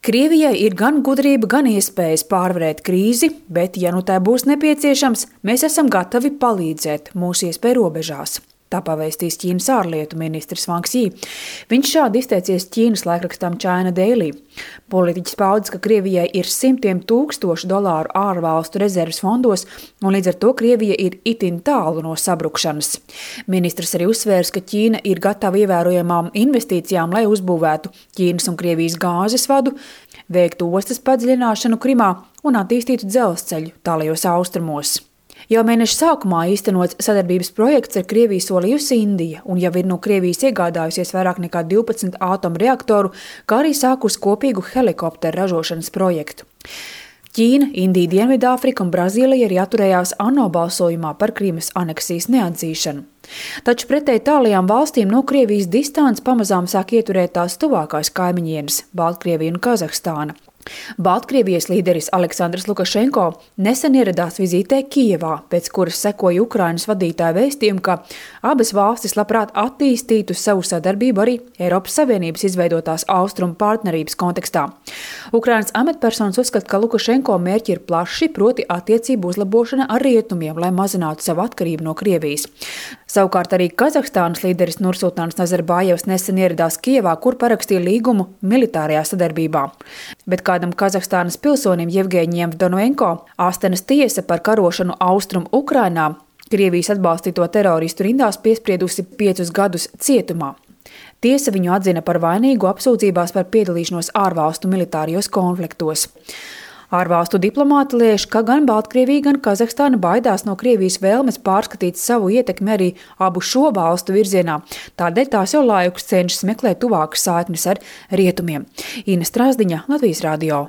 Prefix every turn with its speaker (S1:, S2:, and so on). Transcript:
S1: Krievijai ir gan gudrība, gan iespējas pārvarēt krīzi, bet, ja nu tā būs nepieciešams, mēs esam gatavi palīdzēt mūsu iespēju robežās. Tā pavēstīs Ķīnas ārlietu ministrs Wang Yi. Viņš šādi izteicies Ķīnas laikrakstam China Daily. Politiķis paudis, ka Krievijai ir simtiem tūkstošu dolāru ārvalstu rezerves fondos, un līdz ar to Krievija ir itin tālu no sabrukšanas. Ministrs arī uzsvērs, ka Ķīna ir gatava ievērojamām investīcijām, lai uzbūvētu Ķīnas un Krievijas gāzes vadu, veiktu ostas padziļināšanu Krimā un attīstītu dzelzceļu tālajos austrumos. Jau mēneša sākumā īstenots sadarbības projekts ar Krieviju solījusi Indija, un jau ir no Krievijas iegādājusies vairāk nekā 12 atomreaktoru, kā arī sākus kopīgu helikopteru ražošanas projektu. Ķīna, Indija, Dienvidāfrika un Brazīlija arī atturējās ANO balsojumā par Krimas aneksijas neatzīšanu. Taču pretēji tālajām valstīm no Krievijas distance pamazām sāk ieturēt tās tuvākās kaimiņienes – Baltkrievija un Kazahstāna. Baltkrievijas līderis Aleksandrs Lukašenko nesen ieradās vizītē Kijevā, pēc kuras sekoja Ukrainas vadītāja vēstījumu, ka abas valstis labprāt attīstītu savu sadarbību arī Eiropas Savienības izveidotās austrumu partnerības kontekstā. Ukrainas amatpersonas uzskata, ka Lukašenko mērķi ir plaši, proti attiecību uzlabošana ar rietumiem, lai mazinātu savu atkarību no Krievijas. Savukārt arī Kazahstānas līderis Nursultāns Nazarbājevs nesen ieradās Kijevā, kur parakstīja līgumu militārajā sadarbībā. Bet kādam Kazahstānas pilsonim Jevgeņijam Vdonoenko Astenas tiesa par karošanu austrumu Ukrainā Krievijas atbalstīto teroristu rindās piespriedusi 5 gadus cietumā. Tiesa viņu atzina par vainīgu apsūdzībās par piedalīšanos ārvalstu militārijos konfliktos. Ārvalstu diplomāti lēš, ka gan Baltkrievija, gan Kazahstāna baidās no Krievijas vēlmes pārskatīt savu ietekmi arī abu šo valstu virzienā. Tādēļ tās jau laikus cenšas meklēt tuvākas saiknes ar rietumiem. Ina Strāzdiņa, Latvijas radio.